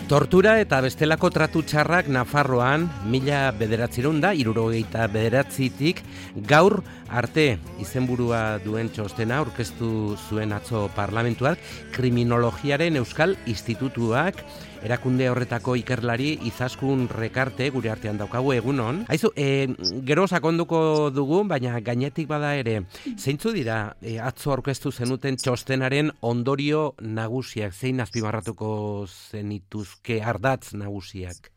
Tortura eta bestelako tratu txarrak Nafarroan 1979tik gaur arte izenburua duen txostena aurkeztu zuen atzo parlamentuak Kriminologiaren Euskal Institutuak erakunde horretako ikerlari Izaskun Rekarte gure artean daukagu egunon. Aizu, gero sakonduko dugu, baina gainetik bada ere, zeintzu dira atzo aurkeztu zenuten txostenaren ondorio nagusiak, zein azpimarratuko zenituzke ardatz nagusiak?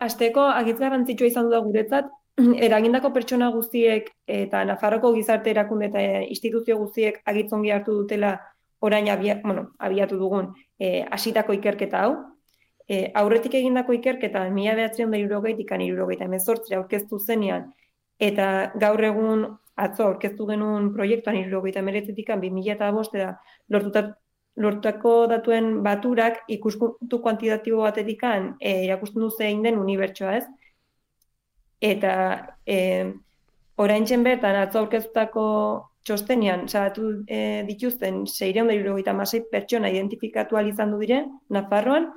Hasteko agitz garrantzitsua izan du da guretzat, eragindako pertsona guztiek eta Nafarroko gizarte erakunde eta instituzio guztiek agitzongi hartu dutela orain abiatu dugun hasitako ikerketa hau. Aurretik egindako ikerketa 1960tik 1978 aurkeztu zenean eta gaur egun atzo aurkeztu genuen proiektuan 1979tik 2005 lortutako datuen baturak ikuspuntu kuantitatibo batetik erakusten du zein den unibertsoa, ez? Eta oraintzen bertan atzo aurkeztutako txostenean salatu dituzten 676 pertsona identifikatu ahal izan du dire Nafarroan,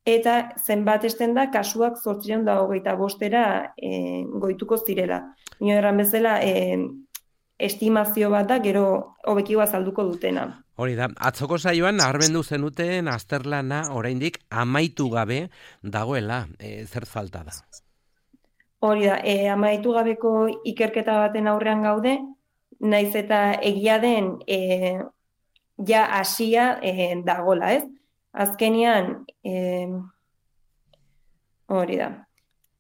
eta zenbat esten da kasuak 825era goituko zirela. Nio erran bezala estimazio bat da, gero hobeki azalduko dutena. Hori da, atzoko saioan nabarmendu zenuten azterlana oraindik amaitu gabe dagoela, zer falta da? Hori da, amaitu gabeko ikerketa baten aurrean gaude, naiz eta egia den ja hasia dagola, ez? Azkenean, hori da.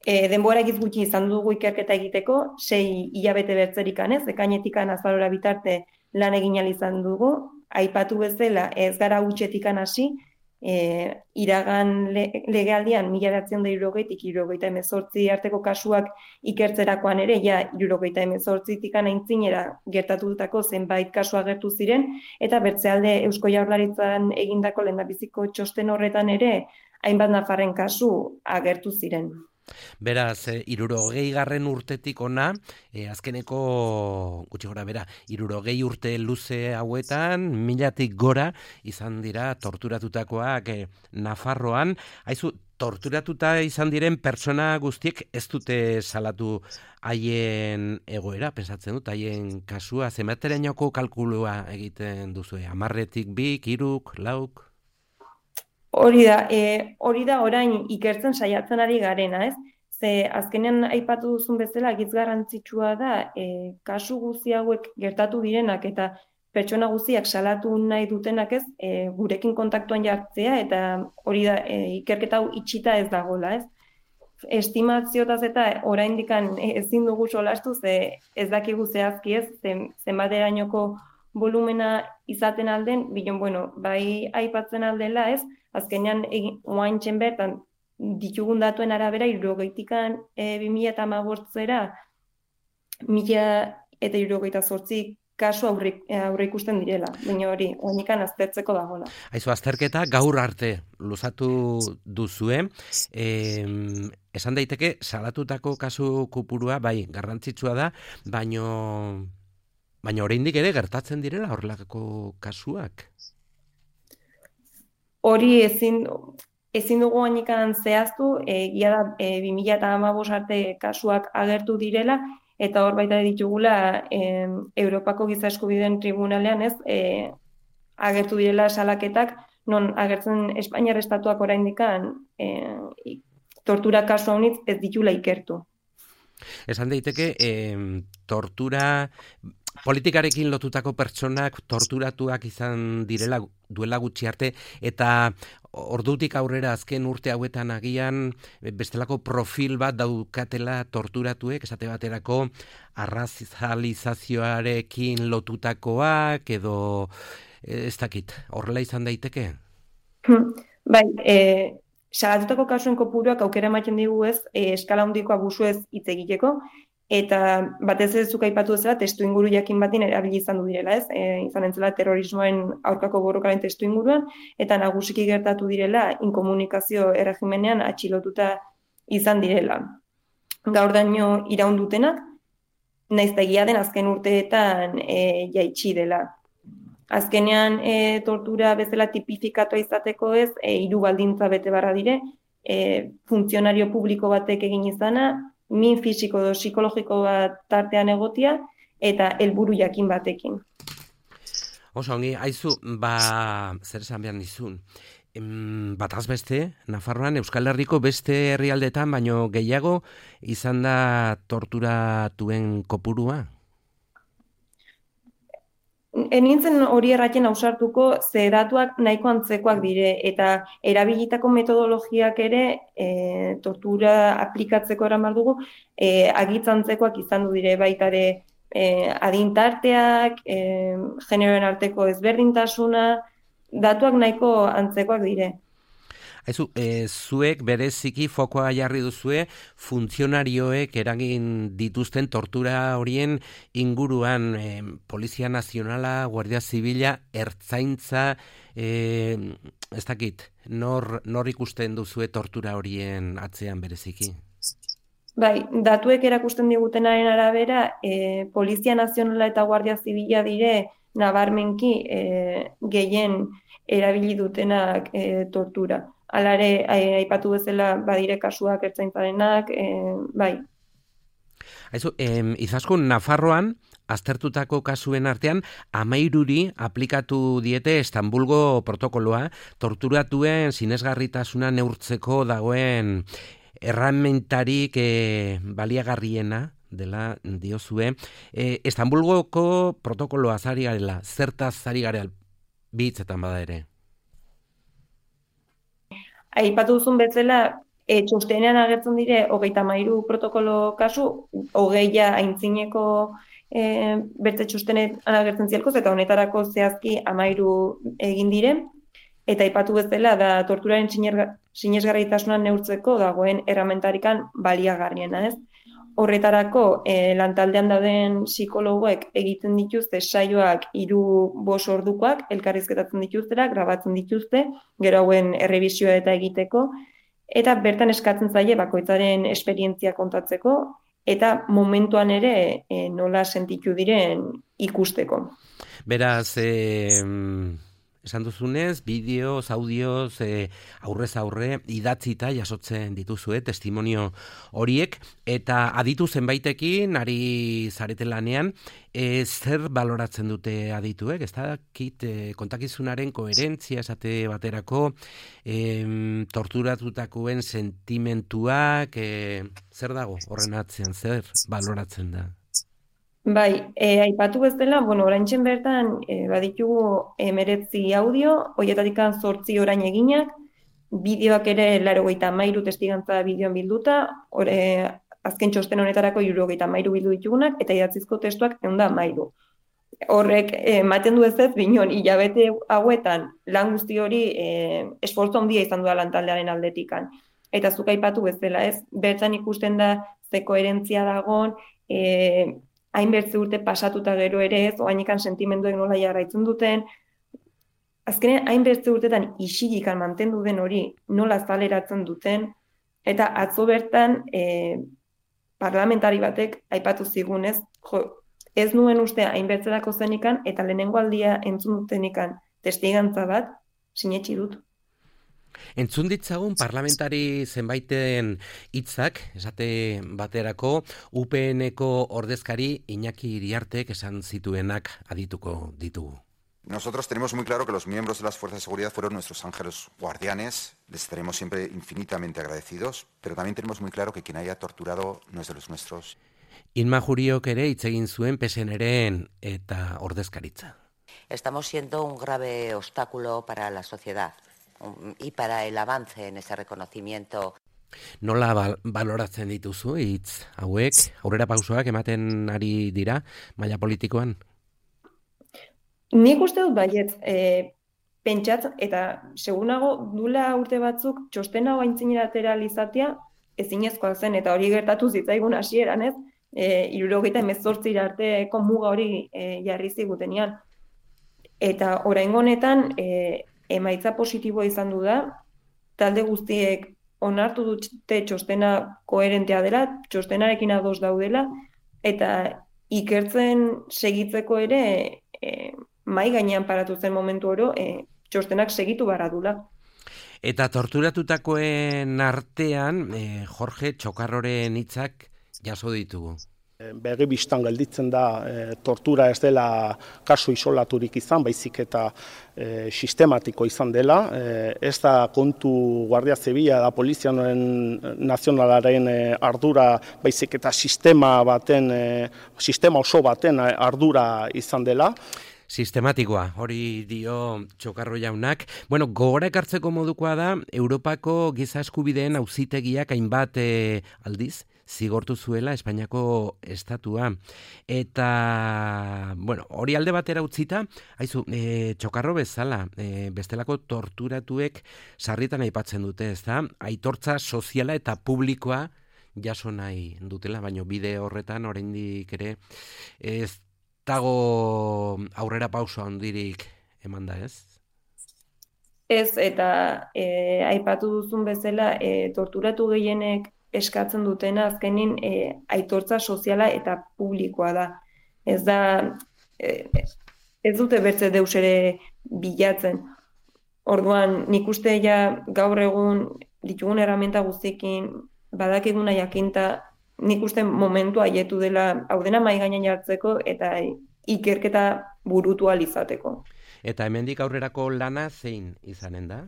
Denbora egiz gutxi izan dugu ikerketa egiteko, 6 hilabete bertzerikan, ez? Ekainetikan azalora bitarte lan egin ahal izan dugu, aipatu bezala ez gara hutsetikan hasi, iragan legealdian 1960tik 1978 arteko kasuak ikertzerakoan ere, ja 1978tik aintzinera gertatutako zenbait kasu agertu ziren, eta bertzealde Eusko Jaurlaritzan egindako lehendabiziko txosten horretan ere, hainbat nafarren kasu agertu ziren. Beraz, 60 urtetik ona, azkeneko, gutxi gora bera, 60 urte luze hauetan, 1000tik gora izan dira torturatutakoak Nafarroan. Haizu, torturatuta izan diren pertsona guztiek ez dute salatu haien egoera, pensatzen dut, haien kasua, zenbaterainoko kalkulua egiten duzu, 10tik 2, 3, 4? Hori da orain ikertzen saiatzen ari garena, ez? Ze azkenean aipatu duzun bezala agitz garrantzitsua da kasu guzti hauek gertatu direnak eta pertsona guztiak salatu nahi dutenak, ez? Gurekin kontaktuan jartzea eta hori da ikerketa hau itxita ez dagoela, ez? Estimazioetaz eta oraindikan ezin dugu solastu, ze ez dakigu zehazki, ez? Zenbaterainoko volumena izaten alden, bai aipatzen aldela, ez? Azkenean, oaintzen bertan, ditugun datuen arabera, 60tik 2015era, 1078 kasu aurre ikusten direla. Baina hori, oainikan aztertzeko dagoela. Aizu, azterketa gaur arte luzatu duzue. Esan daiteke, salatutako kasu kopurua, bai, garrantzitsua da, baina oraindik ere gertatzen direla horrelako kasuak. Hori ezin dugu oainikan zehaztu, egia da 2015 arte kasuak agertu direla, eta hor baita ditugula Europako Giza Eskubideen Tribunalean, ez, agertu direla salaketak, non agertzen Espainiar estatuak oraindikan tortura kasu haunitz ez ditula ikertu. Esan daiteke, tortura politikarekin lotutako pertsonak torturatuak izan direla duela gutxi arte, eta ordutik aurrera azken urte hauetan agian bestelako profil bat daukatela torturatuek, esate baterako arrazalizazioarekin lotutakoak, edo ez dakit, horrela izan daiteke? Bai, salatutako kasuen kopuruak aukera ematen digu, ez, eskala handiko abusuez hitz egiteko, eta batez ez zuk aipatu bezala testuinguru jakin batin erabili izan du direla, ez? Izan entzela terrorismoen aurkako borrokaren testuinguruan, eta nagusiki gertatu direla inkomunikazio erregimenean atxilotuta izan direla. Gaur daño iraundutenak, naiz eta egia den azken urteetan jaitsi dela. Azkenean tortura bezala tipifikatua izateko ez, 3 baldintza bete barra dire, funtzionario publiko batek egin izana, min fisiko edo psikologiko bat tartean egotia, eta helburu jakin batekin. Oso, ongi, haizu, zer esan behar nizun. Bataz beste, Nafarroan, Euskal Herriko beste herrialdetan, baino gehiago izan da torturatuen kopurua? Nintzen hori erraten ausartuko, ze datuak nahiko antzekoak dire, eta erabilitako metodologiak ere tortura aplikatzeko eraman dugu, agitz-antzekoak izan du dire, baita ere adintarteak, generoen arteko ezberdintasuna, datuak nahiko antzekoak dire. Haizu, zuek bereziki fokoa jarri duzue funtzionarioek eragin dituzten tortura horien inguruan Polizia Nazionala, Guardia Zibila, Ertzaintza, ez dakit, nor ikusten duzue tortura horien atzean bereziki? Bai, datuek erakusten digutenaren arabera, Polizia Nazionala eta Guardia Zibila dire nabarmenki gehien erabili dutenak tortura. Hala ere, aipatu bezala badire kasuak ertzaintzarenak, bai. Haizu, izaskun Nafarroan, aztertutako kasuen artean, 13 aplikatu diete Istanbulgo protokoloa, torturatuen sinesgarritasuna neurtzeko dagoen erramentarik baliagarriena dela diozue. Istanbulgoko protokoloa zari garela, zertaz zari garela, bitzetan bada ere. Aipatu duzun bezala, txostenean agertzen dire 33 protokolo kasu, 20 aintzineko bertze txostenean agertzen zielkoz, eta honetarako zehazki 13 egin dire, eta aipatu bezala da torturaren sinesgarritasuna neurtzeko dagoen erramentarikan baliagarriena, ez? Horretarako, lantaldean dauden psikologoek egiten dituzte saioak 3-5 ordukoak, elkarrizketatzen dituztera, grabatzen dituzte, gero hauen errebisioa eta egiteko, eta bertan eskatzen zaie bakoitzaren esperientzia kontatzeko, eta momentuan ere nola sentitu diren ikusteko. Beraz, esan duzunez, bideoz, audioz, aurrez aurre, idatzita jasotzen dituzue, testimonio horiek, eta aditu zenbaitekin, ari zarete lanean, zer baloratzen dute adituek? Ez dakit kontakizunaren koherentzia esate baterako, torturatutakoen sentimentuak, zer dago horren atzean, zer baloratzen da? Bai, aipatu bezala, oraintxen bertan baditugu 19 audio, horietatik 8 orain eginak, bideoak ere 83 testigantza bideoan bilduta, azken txosten honetarako 73 bildu ditugunak, eta idatzizko testuak 113. Horrek ematen du ez, binon, hilabete hauetan lan guzti hori esfortzu handia izan duela lantaldearen aldetikan. Eta zuk aipatu bezala, ez, bertan ikusten da ze koherentzia dagon, hainbertze urte pasatuta gero ere ez, oainikan sentimenduek nola jarraitzen duten, azkenean hainbertze urtetan isilikan mantendu den hori nola zaleratzen duten, eta atzo bertan parlamentari batek aipatu zigunez, ez nuen uste hainbertzerako zenikan, eta lehenengo aldia entzun dutenikan testigantza bat, sinetsi dut. Entzun ditzagun parlamentari zenbaiten hitzak, esate baterako, UPN-eko ordezkari Iñaki Iriartek esan zituenak adituko ditugu. Nosotros tenemos muy claro que los miembros de las fuerzas de seguridad fueron nuestros ángeles guardianes, les estaremos siempre infinitamente agradecidos, pero también tenemos muy claro que quien haya torturado no es de los nuestros. Inma Juriok ere hitz egin zuen PSNren eta ordezkaritza. Estamos siendo un grave obstáculo para la sociedad y para el avance en ese reconocimiento. Nola baloratzen dituzu hitz hauek, aurrera pausoak ematen ari dira maila politikoan? Nik uste dut baiet, pentsat, eta segunago dula urte batzuk txosten hau aintzineratera izatea ezinezkoa zen, eta hori gertatu zitzaigun hasieran, ez? 78 arteko muga hori jarri zigutenean. Eta oraingo honetan emaitza positiboa izan du da, talde guztiek onartu dute txostena koherentea dela, txostenarekin ados daudela, eta ikertzen segitzeko ere mai gainean paratu zen momentu oro, txostenak segitu barra dula. Eta torturatutakoen artean, Jorge Txokarroren hitzak jaso ditugu. Begi bistan gelditzen da tortura ez dela kasu isolaturik izan, baizik eta sistematiko izan dela. Ez da kontu Guardia Zibila da Polizia Nazionalaren ardura, baizik eta sistema oso baten ardura izan dela. Sistematikoa, hori dio Txokarro jaunak. Bueno, gogora ekartzeko modukoa da, Europako giza eskubideen auzitegiak hainbat aldiz zigortu zuela Espainiako estatua. Eta, bueno, hori alde batera utzita, haizu, Txokarro bezala, bestelako torturatuek sarritan aipatzen dute, ez da? Aitortza soziala eta publikoa jaso nahi dutela, baina bide horretan oraindik ere ez dago aurrera pauso handirik eman da, ez? Ez, eta aipatu duzun bezala, torturatu gehienek eskatzen dutena azkenin aitortza soziala eta publikoa da. Ez da, ez dute bertze deus ere bilatzen. Orduan, nik uste gaur egun ditugun erramenta guztiekin badakiguna jakinta, nik uste momentu haietu dela hau dena mahai gainean jartzeko eta ikerketa burutu ahal izateko. Eta hemendik aurrerako lana zein izanen da?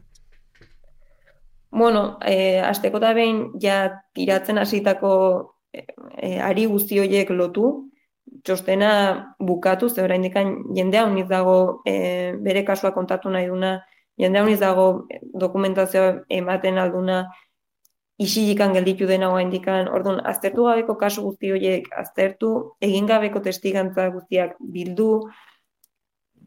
Bueno, hasteko da behin tiratzen hasitako ari guzti horiek lotu, txostena bukatu, ze oraindik jendea uniz dago bere kasua kontatu nahi duna, jendea uniz dago dokumentazioa ematen alduna, isilikan gelditu dena oraindikan. Orduan, aztertu gabeko kasu guzti horiek aztertu, egin gabeko testigantza guztiak bildu,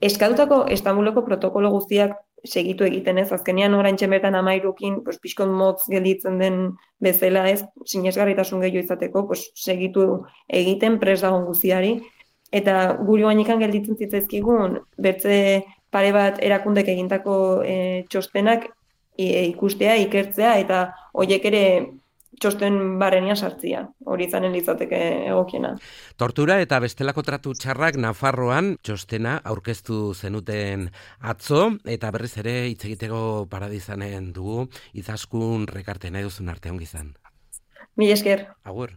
eskatutako Istanbuleko protokolo guztiak segitu egiten ez, azkenean oraintxe bertan 13 pixkon motz gelditzen den bezala ez, sinesgarritasun gehiago izateko, segitu egiten prest dagoen guztiari, eta guri oainikan gelditzen zitzaizkigun, bertze pare bat erakundek egintako txostenak ikustea, ikertzea, eta horiek ere txosten barrenian sartzia, hori izanen litzateke egokiena. Tortura eta bestelako tratu txarrak Nafarroan txostena aurkeztu zenuten atzo, eta berriz ere hitz egiteko paradizanen dugu, Izaskun Rekarte nahi duzun arte ongi izan. Mila esker. Agur.